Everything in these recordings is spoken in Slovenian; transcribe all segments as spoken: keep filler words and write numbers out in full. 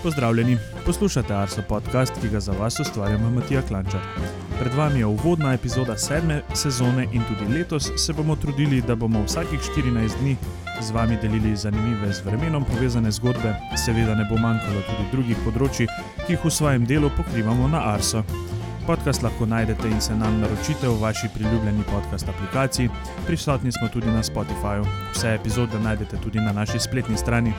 Pozdravljeni, poslušate Arso podcast, ki ga za vas ustvarjamo Matija Klančar. Pred vami je uvodna epizoda sedme sezone in tudi letos se bomo trudili, da bomo vsakih štirinajst dni z vami delili zanimive z vremenom povezane zgodbe, seveda ne bo manjkalo tudi drugih področji, ki jih v svojem delu pokrivamo na Arso. Podcast lahko najdete in se nam naročite v vaši priljubljeni podcast aplikaciji, prisotni smo tudi na Spotifyju. Vse epizode najdete tudi na naši spletni strani.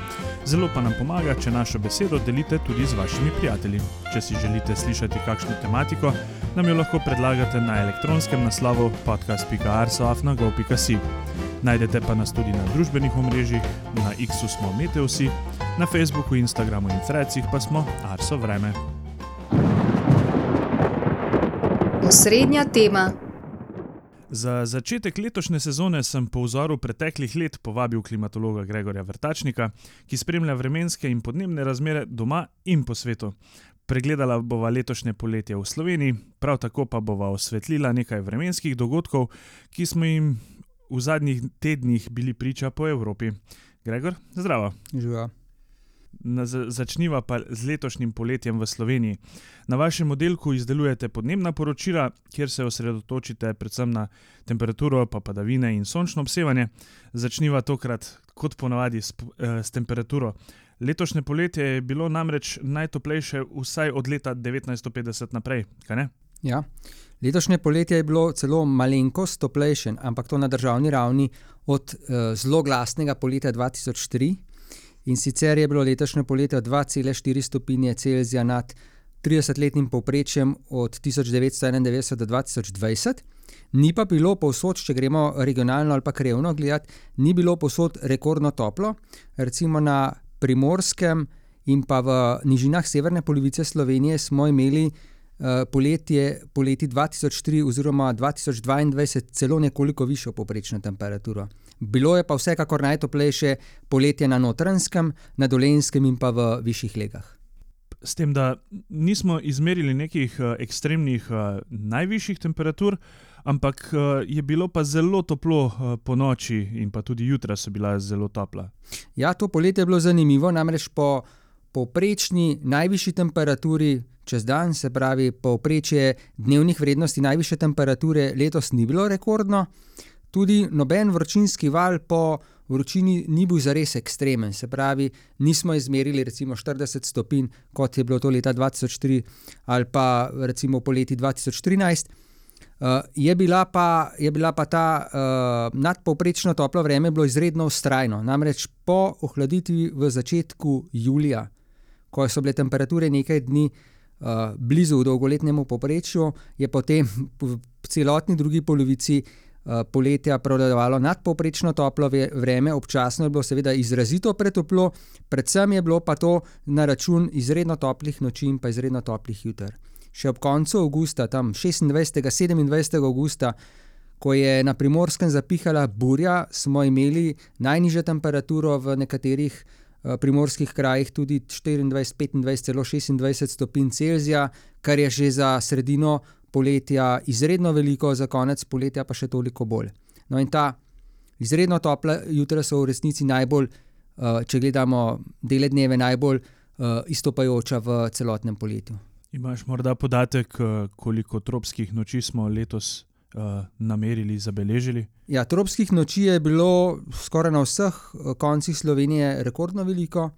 Zelo pa nam pomaga, če našo besedo delite tudi z vašimi prijatelji. Če si želite slišati kakšno tematiko, nam jo lahko predlagate na elektronskem naslovu podcast pika arso afna gov pika si. Najdete pa nas tudi na družbenih omrežjih, na X-u smo Meteosi, na Facebooku, Instagramu in Threadsih pa smo Arso vreme. Osrednja tema. Za začetek letošnje sezone sem po vzoru preteklih let povabil klimatologa Gregorja Vrtačnika, ki spremlja vremenske in podnebne razmere doma in po svetu. Pregledala bova letošnje poletje v Sloveniji, prav tako pa bova osvetlila nekaj vremenskih dogodkov, ki smo jim v zadnjih tednih bili priča po Evropi. Gregor, zdravo. Živa. Na, začniva pa z letošnjim poletjem v Sloveniji. Na vašem oddelku izdelujete podnebna poročila, kjer se osredotočite predvsem na temperaturo, pa padavine in sončno obsevanje. Začniva tokrat, kot ponavadi, s, eh, s temperaturo. Letošnje poletje je bilo namreč najtoplejše vsaj od leta devetnajststo petdeset naprej, kaj ne? Ja, letošnje poletje je bilo celo malenkost toplejše, ampak to na državni ravni od eh, zelo glasnega poletja dva tisoč tri. In sicer je bilo letošnje poletje dva cela štiri stopinje Celzija nad tridesetletnim povprečjem od tisoč devetsto enaindevetdeset do dva tisoč dvajset. Ni pa bilo povsod, če gremo regionalno ali pa krajevno gledati, ni bilo povsod rekordno toplo. Recimo na Primorskem in pa v nižinah severne polovice Slovenije smo imeli uh, poletje, poleti dva tisoč tri oziroma dva tisoč dvaindvajset celo nekoliko višjo povprečno temperaturo. Bilo je pa vsekakor najtoplejše poletje na Notranjskem, na Dolenjskem in pa v višjih legah. S tem, da nismo izmerili nekih uh, ekstremnih uh, najvišjih temperatur, ampak uh, je bilo pa zelo toplo uh, po noči in pa tudi jutra so bila zelo topla. Ja, to poletje je bilo zanimivo, namreč po povprečni najvišji temperaturi čez dan, se pravi povprečje dnevnih vrednosti najvišje temperature letos ni bilo rekordno. Tudi noben vročinski val po vročini ni bil zares ekstremen, se pravi, nismo izmerili recimo štirideset stopinj, kot je bilo to leta dva tisoč tri ali pa recimo poleti dva tisoč trinajst. Uh, je, bila pa, je bila pa ta uh, nadpovprečno toplo vreme bilo izredno vztrajno, namreč po ohladitvi v začetku julija, ko so bile temperature nekaj dni uh, blizu dolgoletnemu povprečju, je potem v celotni drugi polovici poletja prevladovalo nadpovprečno toplo vreme, občasno je bilo seveda izrazito pretoplo, predvsem je bilo pa to na račun izredno toplih noči in pa izredno toplih juter. Še ob koncu avgusta, tam šestindvajsetega, sedemindvajsetega avgusta, ko je na Primorskem zapihala burja, smo imeli najnižjo temperaturo v nekaterih uh, primorskih krajih tudi štiriindvajset, petindvajset, celo šestindvajset stopinj Celzija, kar je že za sredino poletja izredno veliko, za konec poletja pa še toliko bolj. No in ta izredno topla jutra so v resnici najbolj, če gledamo dele dneve, najbolj izstopajoča v celotnem poletju. Imaš morda podatek, koliko tropskih noči smo letos uh, namerili, zabeležili? Ja, tropskih noči je bilo skoraj na vseh koncih Slovenije rekordno veliko.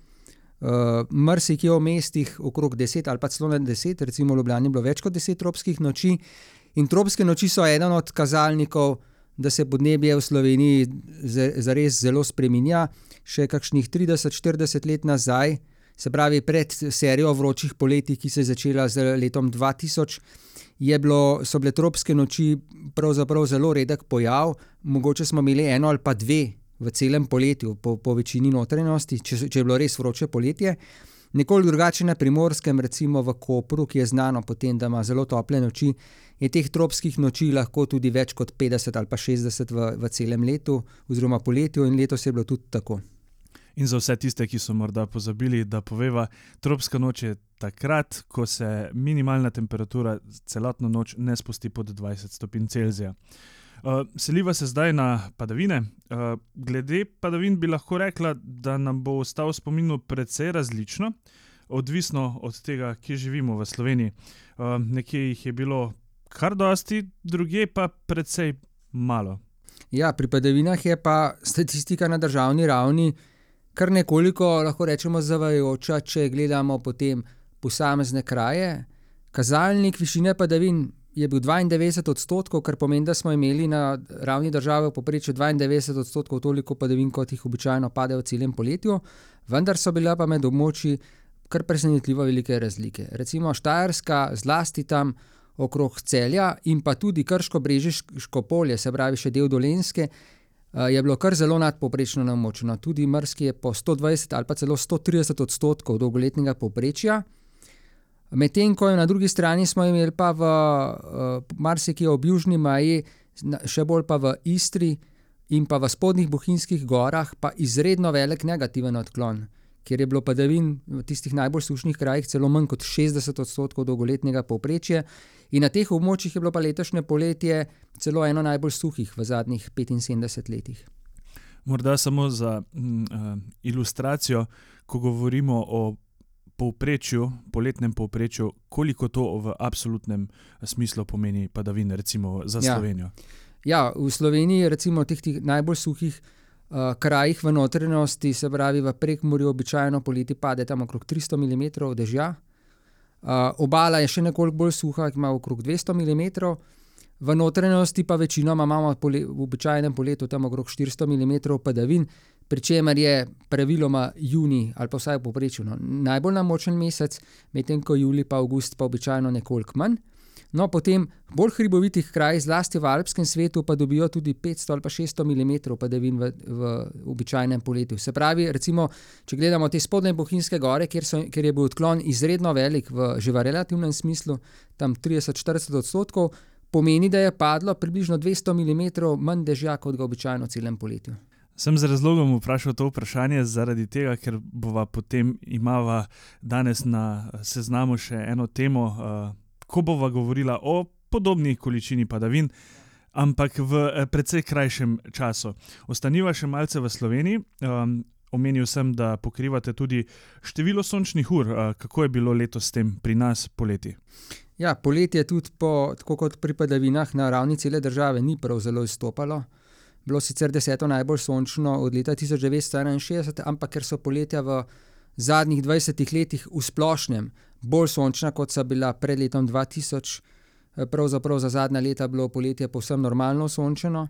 Uh, Mrsikje v mestih okrog deset ali pa celo na deset, recimo v Ljubljani je bilo več kot deset tropskih noči. In tropske noči so eden od kazalnikov, da se podnebje v Sloveniji zares zelo spreminja. Še kakšnih trideset, štirideset let nazaj, se pravi pred serijo vročih poletij, ki se je začela z letom dva tisoč, je bilo, so bile tropske noči pravzaprav zelo redek pojav. Mogoče smo imeli eno ali pa dve v celem poletju, po, po večini notranjosti, če, če je bilo res vroče poletje. Nekoliko drugače na Primorskem, recimo v Kopru, ki je znano potem, da ima zelo tople noči, je teh tropskih noči lahko tudi več kot petdeset ali pa šestdeset v, v celem letu oziroma poletju in letos je bilo tudi tako. In za vse tiste, ki so morda pozabili, da poveva, tropska noč je takrat, ko se minimalna temperatura celotno noč ne spusti pod dvajset stopinj Celzija. Uh, seliva se zdaj na padavine. Uh, glede padavin bi lahko rekla, da nam bo ostal v spominu precej različno. odvisno od tega, kje živimo v Sloveniji. Uh, nekje jih je bilo kar dosti, drugje pa precej malo. Ja, pri padavinah je pa statistika na državni ravni kar nekoliko, lahko rečemo, zavajajoča, če gledamo potem posamezne kraje. Kazalnik višine padavin je bil dvaindevetdeset odstotkov, kar pomeni, da smo imeli na ravni države v povprečju dvaindevetdeset odstotkov toliko padavin, kot jih običajno pade v celem poletju, vendar so bile pa med območji kar presenetljivo velike razlike. Recimo Štajerska, zlasti tam okrog Celja in pa tudi Krško-Brežiško polje, se pravi še del Dolenjske, je bilo kar zelo nadpovprečno namočeno. Tudi Mrski je po sto dvajset ali pa celo sto trideset odstotkov dolgoletnega povprečja. Medtem ko na drugi strani smo imeli pa v uh, marsikje ob južni meji, še bolj pa v Istri in pa v spodnjih Bohinjskih gorah pa izredno velik negativen odklon, kjer je bilo padavin v tistih najbolj sušnih krajih celo manj kot šestdeset odstotkov dolgoletnega povprečja. In na teh območjih je bilo pa letošnje poletje celo eno najbolj suhih v zadnjih petinsedemdeset letih. Morda samo za mm, uh, ilustracijo, ko govorimo o povprečju, poletnem povprečju, koliko to v absolutnem smislu pomeni padavin, recimo za Slovenijo? Ja, ja, v Sloveniji recimo teh, teh najbolj suhih uh, krajih v notranjosti, se pravi v Prekmurju, običajno poleti pade tam okrog tristo milimetrov dežja. Uh, obala je še nekoliko bolj suha, ima okrog dvesto milimetrov, v notranjosti pa večinoma imamo pole, v običajnem poletu tam okrog štiristo milimetrov padavin, pri čemer je praviloma junij ali pa vsaj v povprečju no, najbolj namočen mesec, medtem ko julij pa avgust pa običajno nekoliko manj. No, potem bolj hribovitih krajih, zlasti v alpskem svetu, pa dobijo tudi petsto ali pa šeststo milimetrov padavin v, v običajnem poletju. Se pravi, recimo, če gledamo te spodnje Bohinjske gore, kjer, so, kjer je bil odklon izredno velik v že v relativnem smislu, tam trideset do štirideset odstotkov, pomeni, da je padlo približno dvesto milimetrov manj dežja kot ga običajno v celem poletju. Sem z razlogom vprašal to vprašanje zaradi tega, ker bova potem imava danes na seznamu še eno temo, uh, ko bova govorila o podobni količini padavin, ampak v precej krajšem času. Ostaniva še malce v Sloveniji. Um, omenil sem, da pokrivate tudi število sončnih ur. Uh, kako je bilo letos s tem pri nas poleti? Ja, poletje tudi po, tako kot pri padavinah na ravni cele države ni prav zelo izstopalo. Bilo sicer deseto najbolj sončno od leta tisoč devetsto enainšestdeset, ampak ker so poletja v zadnjih dvajsetih letih v splošnem bolj sončna, kot so bila pred letom dva tisoč, pravzaprav za zadnja leta bilo poletje povsem normalno sončeno.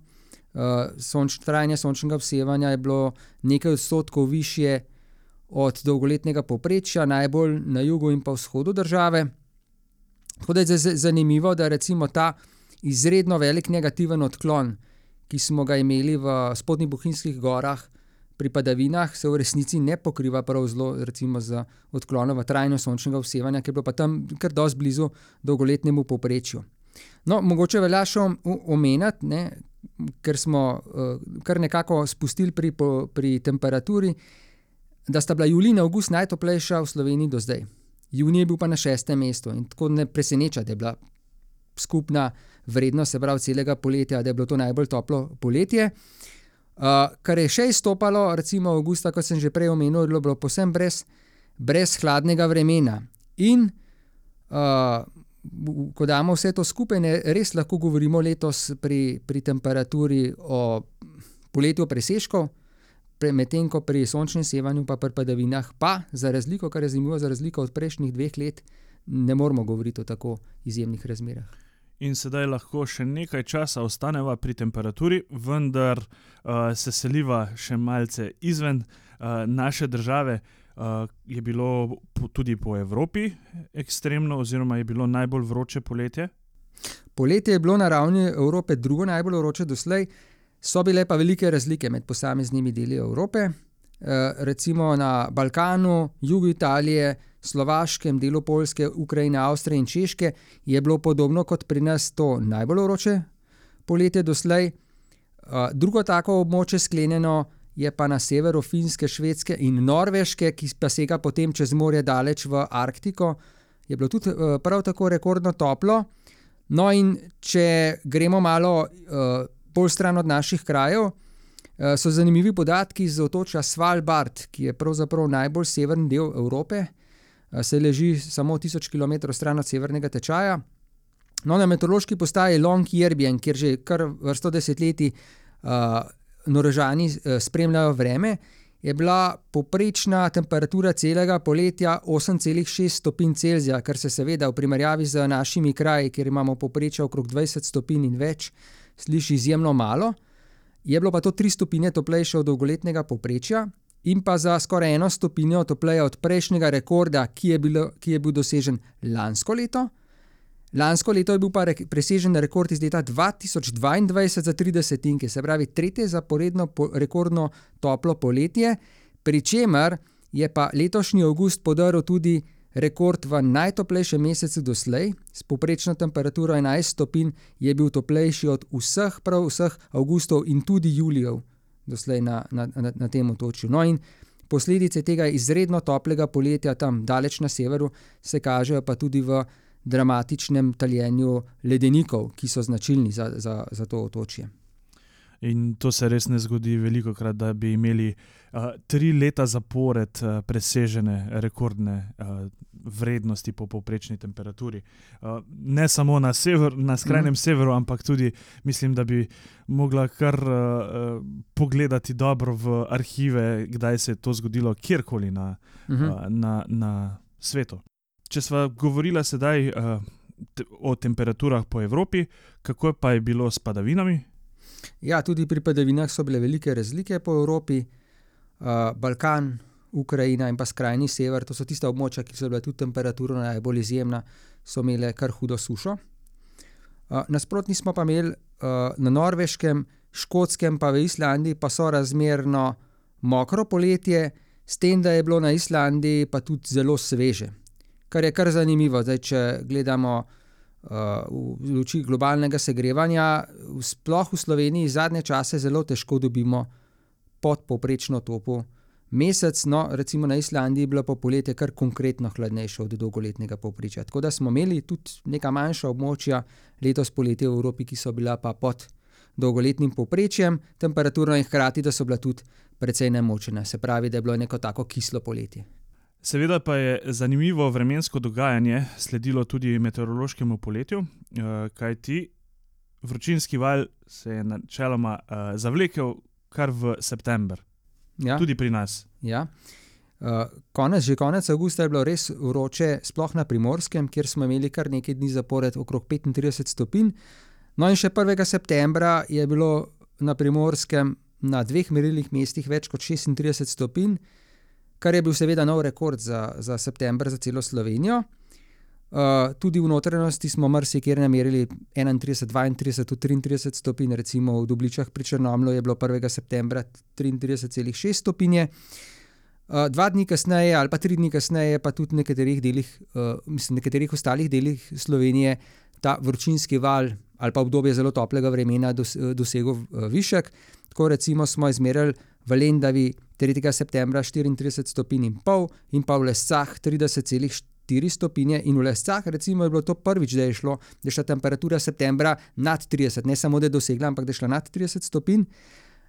Sonč, trajanje sončnega obsevanja je bilo nekaj odstotkov višje od dolgoletnega povprečja, najbolj na jugu in pa vzhodu države. Tako da je zanimivo, da recimo ta izredno velik negativen odklon, ki smo ga imeli v spodnjih Bohinjskih gorah pri padavinah, se v resnici ne pokriva prav zelo recimo z odklonom v trajno sončnega obsevanja, ki je bilo pa tam kar dosti blizu dolgoletnemu povprečju. No, mogoče velja še omeniti, ne, ker smo uh, kar nekako spustili pri, po, pri temperaturi, da sta bila julij in avgust najtoplejša v Sloveniji do zdaj. Junij je bil pa na šestem mestu in tako ne preseneča, da je bila skupna vrednost, se pravi celega poletja, da je bilo to najbolj toplo poletje. Uh, kar je še izstopalo, recimo avgusta, kot sem že prej omenil, je bilo povsem brez, brez hladnega vremena. In uh, ko damo vse to skupaj, ne, res lahko govorimo letos pri, pri temperaturi o poletju presežkov, medtem ko pri sončnem sevanju pa pri padavinah pa za razliko, kar je zanimivo, za razliko od prejšnjih dveh let, ne moramo govoriti o tako izjemnih razmerah. In sedaj lahko še nekaj časa ostaneva pri temperaturi, vendar uh, se seliva še malce izven uh, naše države. Uh, je bilo po, tudi po Evropi ekstremno oziroma je bilo najbolj vroče poletje? Poletje je bilo na ravni Evrope drugo najbolj vroče doslej, so bile pa velike razlike med posameznimi deli Evrope. Uh, recimo na Balkanu, jugu Italije, Slovaškem, delu Poljske, Ukrajine, Avstrije in Češke je bilo podobno kot pri nas to najbolj vroče poletje doslej. Uh, drugo tako območje sklenjeno je pa na severu Finske, Švedske in Norveške, ki pa sega potem čez morje daleč v Arktiko. Je bilo tudi uh, prav tako rekordno toplo. No in če gremo malo uh, bolj stran od naših krajev, uh, so zanimivi podatki iz otočja Svalbard, ki je pravzaprav najbolj severni del Evrope. se leži samo tisoč kilometrov stran od severnega tečaja. No, na meteorološki postaji Longyearbyen, kjer že kar vrsto desetletij uh, Norvežani uh, spremljajo vreme, je bila povprečna temperatura celega poletja osem celih šest stopinj Celzija, kar se seveda v primerjavi z našimi kraji, kjer imamo povprečje okrog dvajset stopinj in več, sliši izjemno malo. Je bilo pa to tri stopinje toplejše od dolgoletnega povprečja in pa za skoraj eno stopinjo topleje od prejšnjega rekorda, ki je, bilo, ki je bil dosežen lansko leto. Lansko leto je bil pa re- presežen rekord iz leta dva tisoč dvaindvajset za tri desetinke, se pravi tretje zaporedno po- rekordno toplo poletje, pri čemer je pa letošnji avgust podaril tudi rekord v najtoplejšem mesecu doslej, s povprečno temperaturo enajst stopinj je bil toplejši od vseh, prav vseh avgustov in tudi julijev doslej na, na, na, na tem otočju. No in posledice tega izredno toplega poletja tam daleč na severu se kažejo pa tudi v dramatičnem taljenju ledenikov, ki so značilni za, za, za to otočje. In to se res ne zgodi velikokrat, da bi imeli uh, tri leta zapored uh, presežene rekordne uh, vrednosti po povprečni temperaturi. Uh, ne samo na, sever, na skrajnem mm. severu, ampak tudi mislim, da bi mogla kar uh, pogledati dobro v arhive, kdaj se je to zgodilo kjerkoli na, mm-hmm. uh, na, na svetu. Če sva govorila sedaj uh, te, o temperaturah po Evropi, kako pa je bilo s padavinami? Ja, tudi pri padavinah so bile velike razlike po Evropi. Uh, Balkan, Ukrajina in pa skrajni sever, to so tista območja, ki so bile tudi temperatura najbolj izjemna, so imele kar hudo sušo. Uh, nasprotni smo pa imeli uh, na Norveškem, Škotskem pa v Islandiji pa so razmerno mokro poletje, s tem, da je bilo na Islandiji pa tudi zelo sveže. Kar je kar zanimivo, zdaj, če gledamo uh, v luči globalnega segrevanja, sploh v Sloveniji zadnje čase zelo težko dobimo podpovprečno topo mesec, no recimo na Islandiji je bilo pa poletje kar konkretno hladnejše od dolgoletnega povprečja. Tako da smo imeli tudi neka manjša območja letos poletje v Evropi, ki so bila pa pod dolgoletnim povprečjem temperaturno in hkrati, da so bila tudi precej nemočena, se pravi, da je bilo neko tako kislo poletje. Seveda pa je zanimivo vremensko dogajanje sledilo tudi meteorološkemu poletju, kajti vročinski val se je načeloma zavlekel kar v september, ja. Tudi pri nas. Ja. Konec, že konec avgusta je bilo res vroče, sploh na Primorskem, kjer smo imeli kar nekaj dni zapored okrog petintrideset stopinj. No in še prvega septembra je bilo na Primorskem na dveh merilnih mestih več kot šestintrideset stopinj, kar je bil seveda nov rekord za, za september za celo Slovenijo. Uh, tudi v notranjosti smo marsikjer namerili enaintrideset, dvaintrideset, triintrideset stopinj, recimo v Dobličah pri Črnomlju je bilo prvega septembra triintrideset celih šest stopinje. Uh, dva dni kasneje ali pa tri dni kasneje pa tudi v nekaterih delih, uh, mislim, nekaterih ostalih delih Slovenije ta vročinski val ali pa obdobje zelo toplega vremena dos, dosegel uh, višek. Tako recimo smo izmerili v Lendavi tretjega septembra štiriintrideset stopinj in pol in pa v Lescah trideset celih štiri stopinje in v Lescah recimo je bilo to prvič, da je šlo, da je šla temperatura septembra nad trideset, ne samo da je dosegla, ampak da je šla nad trideset stopinj.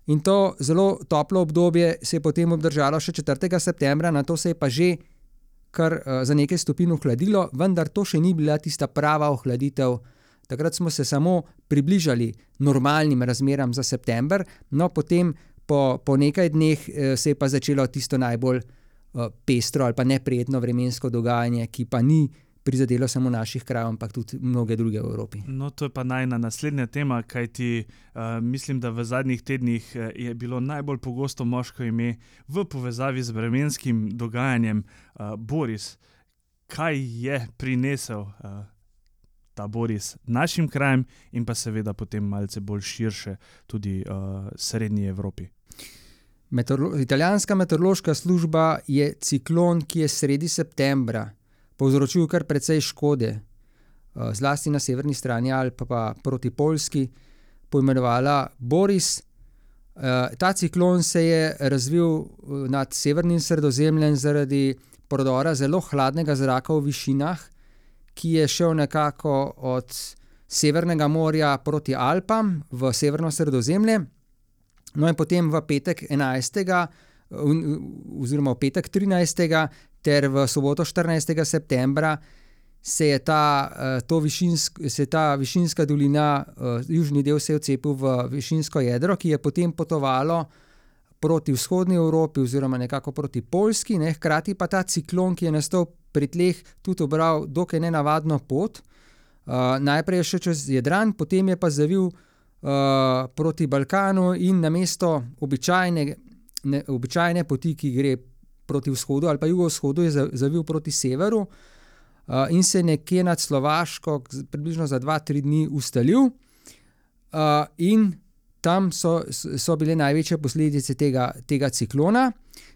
In to zelo toplo obdobje se je potem obdržalo še četrtega septembra, na to se je pa že kar uh, za nekaj stopinj ohladilo, vendar to še ni bila tista prava ohladitev. Takrat smo se samo približali normalnim razmeram za september, no potem po, po nekaj dneh eh, se je pa začelo tisto najbolj eh, pestro ali pa neprijetno vremensko dogajanje, ki pa ni prizadelo samo naših krajev, ampak tudi mnoge druge v Evropi. No, to je pa najna naslednja tema, kajti uh, mislim, da v zadnjih tednih uh, je bilo najbolj pogosto moško ime v povezavi z vremenskim dogajanjem uh, Boris. Kaj je prinesel uh, ta Boris našim krajem in pa seveda potem malce bolj širše tudi uh, srednji Evropi? Meteorolo- Italijanska meteorološka služba je ciklon, ki je sredi septembra povzročil kar precej škode, uh, zlasti na severni strani Alp pa proti Poljski, poimenovala Boris. Uh, ta ciklon se je razvil nad severnim Sredozemljem zaradi prodora zelo hladnega zraka v višinah, ki je šel nekako od Severnega morja proti Alpam v severno Sredozemlje. No in potem v petek enajstega oziroma v petek trinajstega ter v soboto štirinajstega septembra se je ta, to višinsk, se je ta višinska dolina, južni del se je odcepil v višinsko jedro, ki je potem potovalo proti vzhodni Evropi oziroma nekako proti Poljski, ne, hkrati pa ta ciklon, ki je nastal pri tleh, tudi obral dokaj nenavadno pot. Uh, najprej je šel čez Jadran, potem je pa zavil uh, proti Balkanu in namesto običajne, ne, običajne poti, ki gre proti vzhodu ali pa jugovzhodu, je zavil proti severu uh, in se nekje nad Slovaško približno za dva, tri dni ustalil uh, in tam so, so bile največje posledice tega, tega ciklona.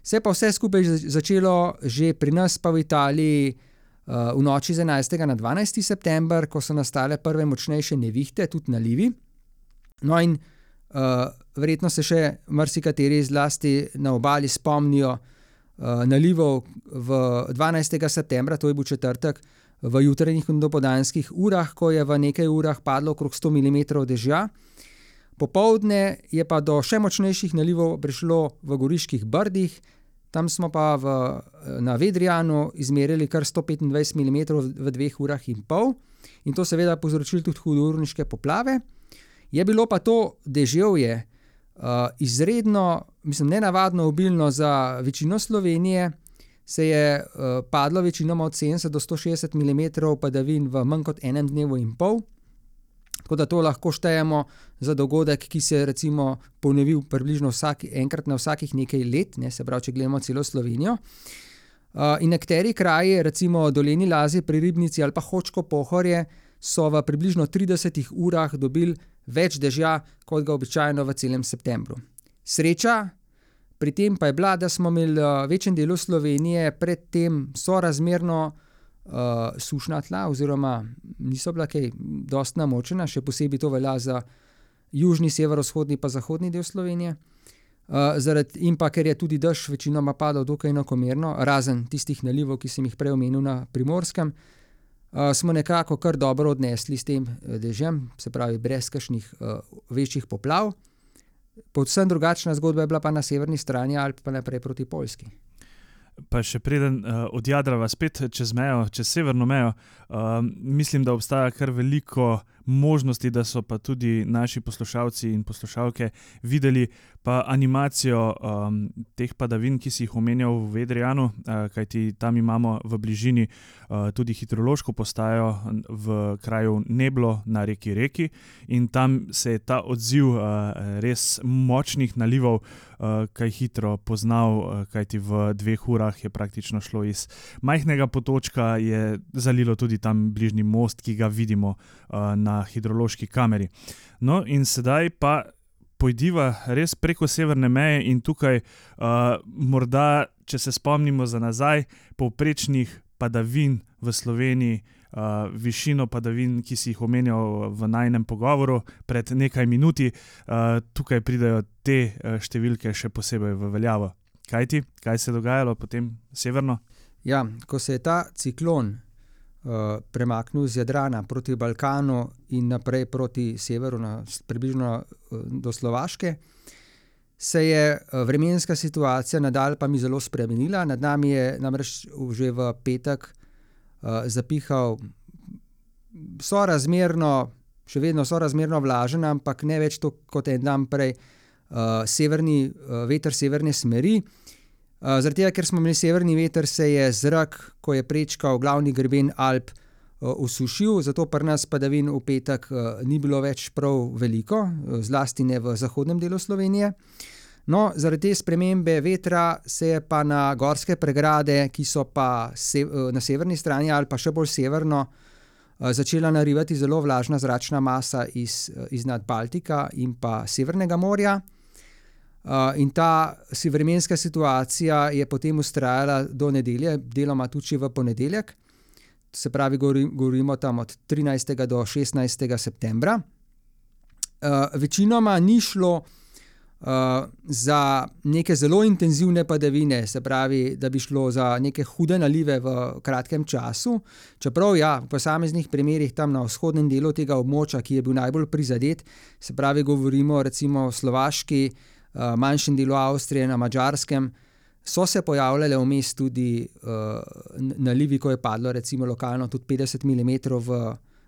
Se pa vse skupaj začelo že pri nas pa v Italiji uh, v noči z enajstega na dvanajsti september, ko so nastale prve močnejše nevihte, tudi nalivi. No in uh, verjetno se še marsikateri zlasti na obali spomnijo uh, nalivov v dvanajstega septembra, to je bil četrtek, v jutranjih in dopoldanskih urah, ko je v nekaj urah padlo okrog sto milimetrov dežja. Popoldne je pa do še močnejših nalivov prišlo v Goriških brdih, tam smo pa v, na Vedrijanu izmerili kar sto petindvajset milimetrov v dveh urah in pol in to seveda povzročilo tudi hudourniške poplave. Je bilo pa to deževje uh, izredno, mislim, nenavadno obilno za večino Slovenije, se je uh, padlo večinoma od sedemdeset do sto šestdeset milimetrov padavin v manj kot enem dnevu in pol. Tako da to lahko štejemo za dogodek, ki se je recimo ponovil približno vsak, enkrat na vsakih nekaj let, ne, se pravi, če gledamo celo Slovenijo. Uh, in nekateri kraji, recimo Dolenji Lazi pri Ribnici ali pa Hočko Pohorje, so v približno tridesetih urah dobili več dežja, kot ga običajno v celem septembru. Sreča pri tem pa je bila, da smo imeli v večjem delu Slovenije predtem sorazmerno Uh, sušna tla oziroma niso bila kaj dosti namočena, še posebej to velja za južni, severovzhodni pa zahodni del Slovenije. Uh, zaradi, in pa ker je tudi dež večinoma padal dokaj enakomerno, razen tistih nalivov, ki sem jih prej omenil na Primorskem, uh, smo nekako kar dobro odnesli s tem dežjem, se pravi brez kakšnih uh, večjih poplav. Povsem drugačna zgodba je bila pa na severni strani Alp pa naprej proti Poljski. Pa še preden uh, odjadrava spet čez mejo, čez severno mejo, uh, mislim, da obstaja kar veliko možnosti, da so pa tudi naši poslušalci in poslušalke videli pa animacijo um, teh padavin, ki si jih omenjal v Vedrijanu, uh, kajti tam imamo v bližini uh, tudi hidrološko postajo v kraju Neblo na reki Reki in tam se je ta odziv uh, res močnih nalivov uh, kaj hitro poznal, uh, kajti v dveh urah je praktično šlo iz majhnega potočka, je zalilo tudi tam bližnji most, ki ga vidimo uh, na hidrološki kameri. No in sedaj pa pojdiva res preko severne meje in tukaj uh, morda, če se spomnimo za nazaj, povprečnih padavin v Sloveniji, uh, višino padavin, ki si jih omenjal v najinem pogovoru pred nekaj minuti, uh, tukaj pridejo te uh, številke še posebej v veljavo. Kaj ti? Kaj se je dogajalo potem severno? Ja, ko se je ta ciklon uh, premaknil z Jadrana proti Balkanu in naprej proti severu, na, približno uh, do Slovaške, se je uh, vremenska situacija nad Alpami zelo spremenila. Nad nami je namreč že v petek uh, zapihal sorazmerno, še vedno sorazmerno vlažen, ampak ne več to kot en dan prej, uh, severni, uh, veter severne smeri. Uh, zaradi tega, ker smo imeli severni veter, se je zrak, ko je prečkal glavni greben Alp, uh, osušil, zato pri nas padavin v petek uh, ni bilo več prav veliko, uh, zlasti ne v zahodnem delu Slovenije. No, zaradi te spremembe vetra se je pa na gorske pregrade, ki so pa se, uh, na severni strani ali pa še bolj severno, uh, začela narivati zelo vlažna zračna masa iz, uh, iz nad Baltika in pa Severnega morja. Uh, in ta si vremenska situacija je potem vztrajala do nedelje, deloma tudi v ponedeljek, se pravi, govorimo tam od trinajstega do šestnajstega septembra. Uh, večinoma ni šlo uh, za neke zelo intenzivne padavine, se pravi, da bi šlo za neke hude nalive v kratkem času, čeprav ja, v posameznih primerih tam na vzhodnem delu tega območja, ki je bil najbolj prizadet, se pravi, govorimo recimo o Slovaški, manjšem delu Avstrije, na Madžarskem, So se pojavljale vmes tudi uh, nalivi, ko je padlo recimo lokalno tudi petdeset milimetrov v,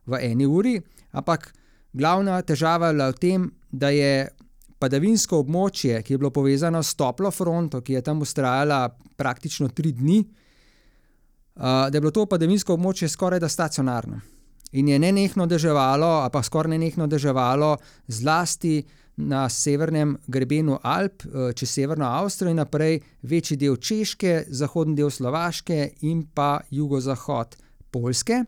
v eni uri, ampak glavna težava je bila v tem, da je padavinsko območje, ki je bilo povezano s toplo fronto, ki je tam vztrajala praktično tri dni, uh, da je bilo to padavinsko območje skoraj da stacionarno. In je nenehno deževalo, ali pa skoraj nenehno deževalo zlasti na severnem grebenu Alp, čez severno Avstrijo in naprej večji del Češke, zahodni del Slovaške in pa jugozahod Poljske.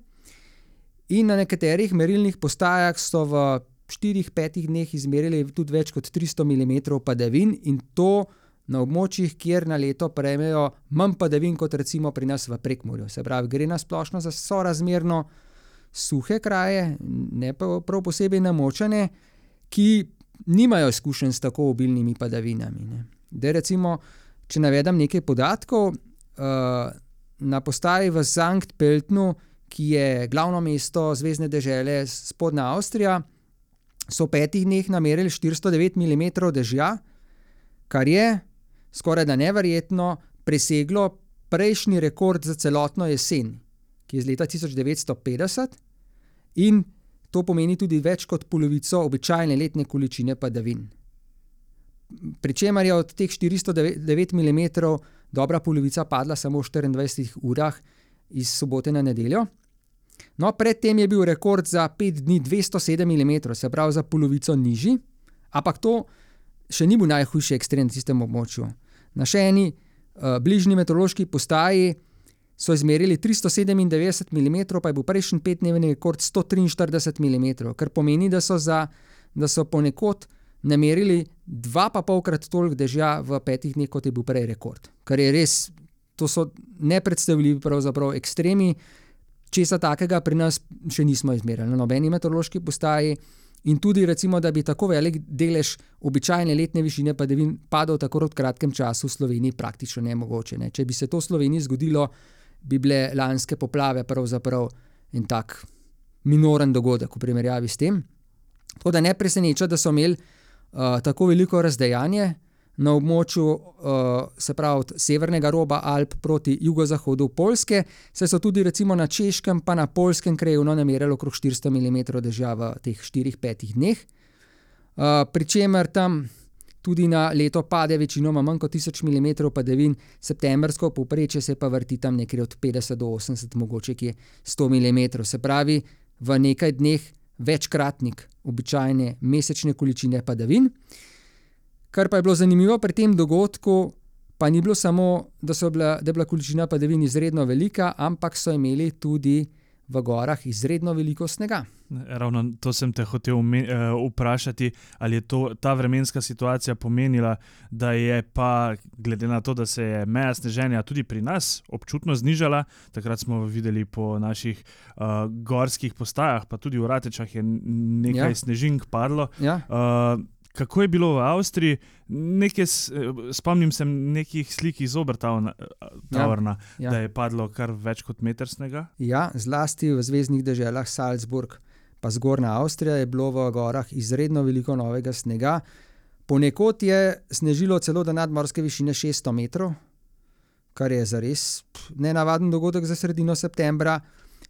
In na nekaterih merilnih postajah so v štirih, petih dneh izmerili tudi več kot tristo milimetrov padavin in to na območjih, kjer na leto prejmejo manj padavin kot recimo pri nas v Prekmurju. Se pravi, gre na splošno za sorazmerno suhe kraje, ne pa prav posebej namočene, ki nimajo izkušenj s tako obilnimi padavinami. Ne. Da recimo, če navedem nekaj podatkov, uh, na postaji v Sankt Pöltnu, ki je glavno mesto zvezne dežele Spodnja Avstrija, so v petih dneh namerili štiristo devet milimetrov dežja, kar je skoraj da neverjetno preseglo prejšnji rekord za celotno jesen, ki je z leta tisoč devetsto petdeset in to pomeni tudi več kot polovico običajne letne količine padavin. Pričemer je od teh štiristo devet milimetrov dobra polovica padla samo v štiriindvajsetih urah iz sobote na nedeljo. No, predtem je bil rekord za pet dni dvesto sedem milimetrov, se pravi za polovico nižji, ampak to še ni bil najhujši ekstrem v tistem območju. Na še eni uh, bližnji meteorološki postaji so izmerili tristo sedemindevetdeset milimetrov, pa je bil prejšnji petdnevni rekord sto triinštirideset milimetrov, kar pomeni, da so, za, da so ponekod namerili dva pa polkrat toliko dežja v petih dneh, kot je bil prej rekord. Kar je res, to so nepredstavljivi pravzaprav ekstremi, česa takega pri nas še nismo izmerili na nobeni meteorološki postaji in tudi recimo, da bi tako velik delež običajne letne višine padavin padal tako v kratkem času v Sloveniji praktično nemogoče. Ne. Če bi se to v Sloveniji zgodilo, bi bile lanske poplave pravzaprav en tak minoren dogodek v primerjavi s tem. Tako da ne preseneča, da so imeli uh, tako veliko razdejanje na območju, uh, se pravi od severnega roba Alp proti jugozahodu Poljske, saj so tudi recimo na Češkem pa na Poljskem krajevno namerili okrog štiristo milimetrov dežja v teh štirih, petih dneh. Uh, Pričemer tam tudi na leto pade večinoma manj kot tisoč milimetrov padavin, septembrsko povprečje se pa vrti tam nekaj od petdeset do osemdeset, mogoče ki je sto milimetrov. Se pravi, v nekaj dneh večkratnik običajne mesečne količine padavin. Kar pa je bilo zanimivo pri tem dogodku, pa ni bilo samo, da, so bila, da je bila količina padavin izredno velika, ampak so imeli tudi v gorah izredno veliko snega. Ravno to sem te hotel vprašati, ali je to, ta vremenska situacija pomenila, da je pa, glede na to, da se je meja sneženja tudi pri nas občutno znižala, takrat smo videli po naših uh, gorskih postajah, pa tudi v Ratečah je nekaj ja. snežink padlo. Ja. Uh, Kako je bilo v Avstriji? Nekaj, spomnim se nekih slik iz Obertaurna, ja, ja. da je padlo kar več kot meter snega. Ja, zlasti v zvezdnih deželah Salzburg pa Zgornja Avstrija je bilo v gorah izredno veliko novega snega. Ponekod je snežilo celo do nadmorske višine šeststo metrov, kar je zares nenavaden dogodek za sredino septembra.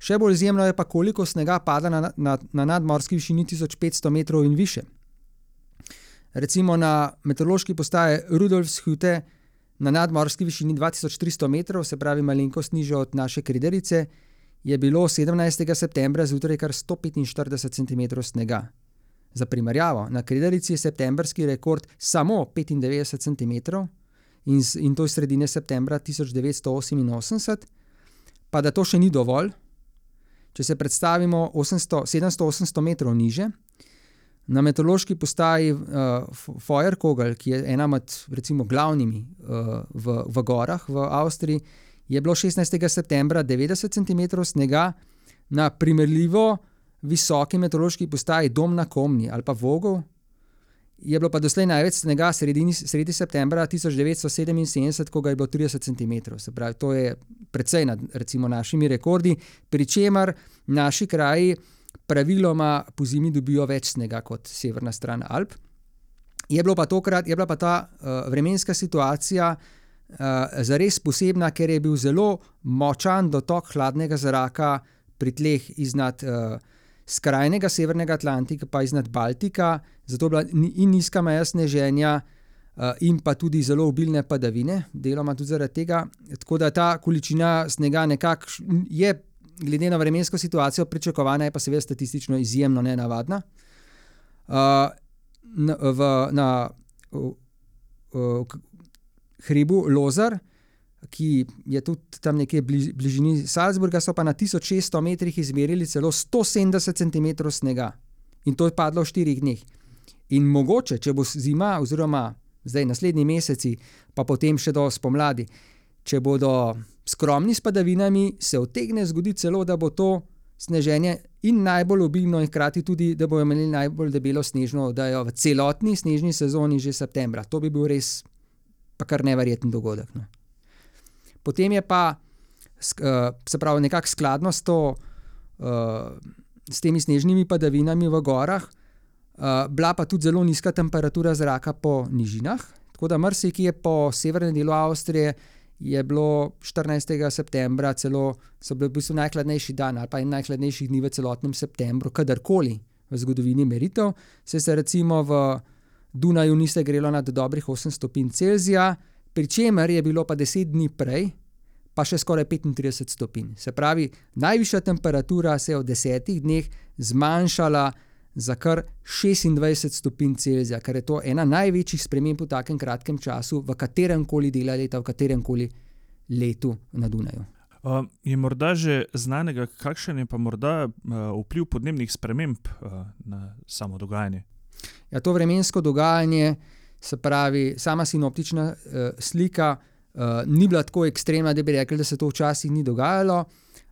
Še bolj izjemno je pa, koliko snega pada na, na, na nadmorski višini tisoč petsto metrov in više. Recimo na meteorološki postaji Rudolfshütte na nadmorski višini dva tisoč tristo metrov, se pravi malenkost nižje od naše Krederice, je bilo sedemnajstega septembra zjutraj kar sto petinštirideset centimetrov snega. Za primerjavo, na Krederici je septembrski rekord samo petindevetdeset centimetrov in, in to je sredine septembra tisoč devetsto oseminosemdeset, pa da to še ni dovolj. Če se predstavimo osemsto, sedemsto osemsto metrov niže, na meteorološki postaji uh, Feuerkogel, ki je ena med recimo glavnimi uh, v, v gorah v Avstriji, je bilo šestnajstega septembra devetdeset centimetrov snega, na primerljivo visoki meteorološki postaji Dom na Komni ali pa Vogel je bilo pa doslej največ snega sredi, sredi septembra tisoč devetsto sedeminsedemdeset, ko ga je bilo trideset centimetrov. Se pravi, to je precej nad recimo našimi rekordi, pri čemer naši kraji praviloma po zimi dobijo več snega kot severna stran Alp. Je bilo pa tokrat, je bila pa ta uh, vremenska situacija zares posebna, ker je bil zelo močan dotok hladnega zraka pri tleh iznad uh, skrajnega severnega Atlantika pa iznad Baltika, zato je bila in nizka meja sneženja uh, in pa tudi zelo obilne padavine, deloma tudi zaradi tega. Tako da ta količina snega nekako je, glede na vremensko situacijo, pričakovana, je pa seveda statistično izjemno nenavadna. Uh, na, v, na uh, uh, hribu Lozar, ki je tudi tam nekje bliž, bližini Salzburga, so pa na tisoč šeststo metrih izmerili celo sto sedemdeset centimetrov snega. In to je padlo v štirih dneh. In mogoče, če bo zima, oziroma zdaj naslednji meseci, pa potem še do spomladi, če bodo skromni s padavinami, se utegne zgoditi celo, da bo to sneženje in najbolj obilno in hkrati tudi, da bojo imeli najbolj debelo snežno oddajo v celotni snežni sezoni že septembra. To bi bil res pa kar neverjeten dogodek. No. Potem je pa, se pravi, nekako skladno s, to, s temi snežnimi padavinami v gorah, bila pa tudi zelo nizka temperatura zraka po nižinah, tako da marsikje po severnem delu Avstrije je bilo štirinajstega septembra celo, so bili v bistvu najhladnejši dan ali pa en najhladnejših dni v celotnem septembru, kadarkoli v zgodovini meritev, se se recimo v Dunaju ni se grelo nad dobrih osem stopinj Celzija, pri čemer je bilo pa deset dni prej pa še skoraj petintrideset stopinj. Se pravi, najvišja temperatura se je v desetih dneh zmanjšala za kar šestindvajset stopinj Celzija, kar je to ena največjih sprememb v takem kratkem času v kateremkoli delu leta, v kateremkoli letu na Dunaju. Uh, je morda že znanega, kakšen je pa morda uh, vpliv podnebnih sprememb uh, na samo dogajanje? Ja, to vremensko dogajanje, se pravi, sama sinoptična uh, slika uh, ni bila tako ekstremna, da bi rekli, da se to včasih ni dogajalo,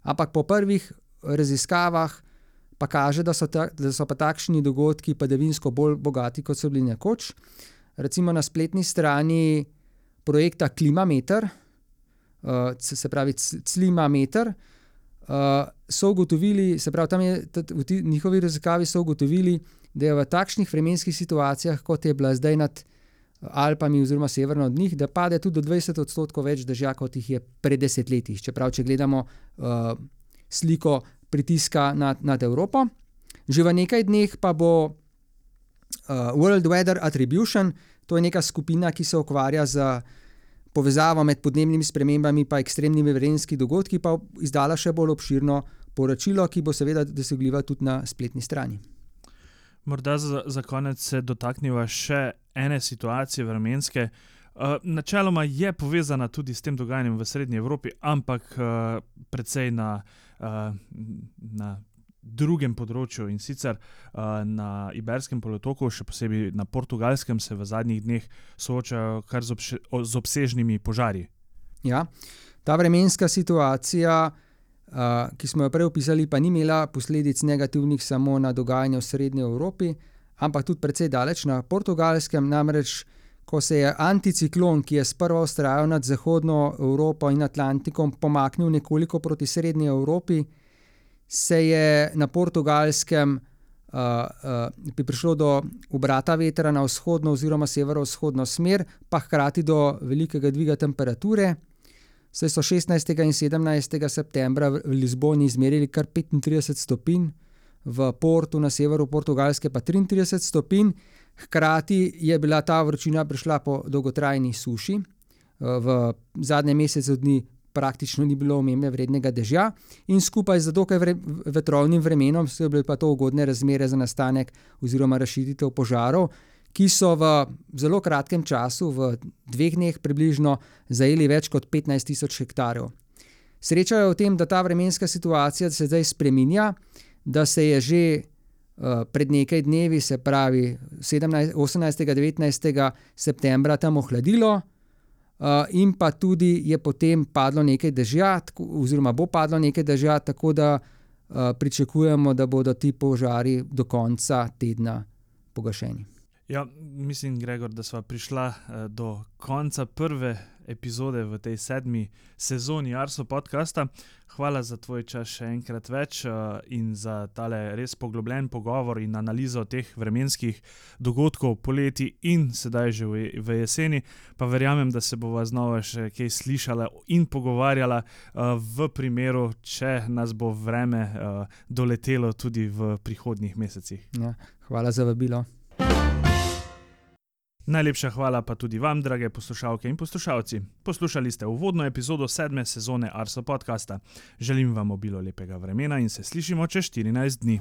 ampak po prvih raziskavah pa kaže, da so, ta, da so pa takšni dogodki padavinsko bolj bogati, kot so bili nekoč. Recimo na spletni strani projekta Klimameter, uh, se pravi Climameter, uh, so ugotovili, se pravi, tam je v t- njihovi raziskavi so ugotovili, da je v takšnih vremenskih situacijah, kot je bila zdaj nad Alpami oziroma severno od njih, da pade tudi do dvajset odstotkov več dežja, kot jih je pred desetletji. Čeprav, če gledamo uh, sliko pritiska nad, nad Evropo. Že v nekaj dneh pa bo uh, World Weather Attribution, to je neka skupina, ki se ukvarja z povezavo med podnebnimi spremembami pa ekstremnimi vremenskimi dogodki, pa izdala še bolj obširno poročilo, ki bo seveda dosegljivo tudi na spletni strani. Morda za, za konec se dotakniva še ene situacije vremenske. Uh, načeloma je povezana tudi s tem dogajanjem v Srednji Evropi, ampak uh, precej na, uh, na drugem področju, in sicer uh, na Iberskem polotoku, še posebej na Portugalskem, se v zadnjih dneh soočajo kar z, obše, z obsežnimi požarji. Ja, ta vremenska situacija, Uh, ki smo jo prej opisali, pa ni imela posledic negativnih samo na dogajanje v Srednji Evropi, ampak tudi precej daleč na Portugalskem, namreč ko se je anticiklon, ki je sprva vztrajal nad Zahodno Evropo in Atlantikom, pomaknil nekoliko proti Srednji Evropi, se je na Portugalskem uh, uh, prišlo do obrata vetra na vzhodno oziroma severovzhodno smer, pa hkrati do velikega dviga temperature. Saj so šestnajstega in sedemnajstega septembra v Lizboni izmerili kar petintrideset stopinj, v Portu na severu Portugalske pa triintrideset stopinj. Hkrati je bila ta vročina prišla po dolgotrajni suši. V zadnjem mesecu dni praktično ni bilo omembe vrednega dežja in skupaj z dokaj vre, vetrovnim vremenom so bile pa to ugodne razmere za nastanek oziroma razširitev požarov, ki so v zelo kratkem času, v dveh dneh približno, zajeli več kot petnajst tisoč hektarjev. Sreča je v tem, da ta vremenska situacija se zdaj spreminja, da se je že uh, pred nekaj dnevi, se pravi osemnajstega, devetnajstega septembra tam ohladilo uh, in pa tudi je potem padlo nekaj dežja, tako, oziroma bo padlo nekaj dežja, tako da uh, pričakujemo, da bodo ti požari do konca tedna pogašeni. Ja, mislim, Gregor, da sva prišla do konca prve epizode v tej sedmi sezoni Arso podcasta. Hvala za tvoj čas še enkrat več in za tale res poglobljen pogovor in analizo teh vremenskih dogodkov poleti in sedaj že v jeseni. Pa verjamem, da se bova znova še kaj slišala in pogovarjala v primeru, če nas bo vreme doletelo tudi v prihodnjih mesecih. Ja, hvala za vabilo. Najlepša hvala pa tudi vam, drage poslušalke in poslušalci. Poslušali ste uvodno epizodo sedme sezone Arso podcasta. Želim vam obilo lepega vremena in se slišimo čez štirinajst dni.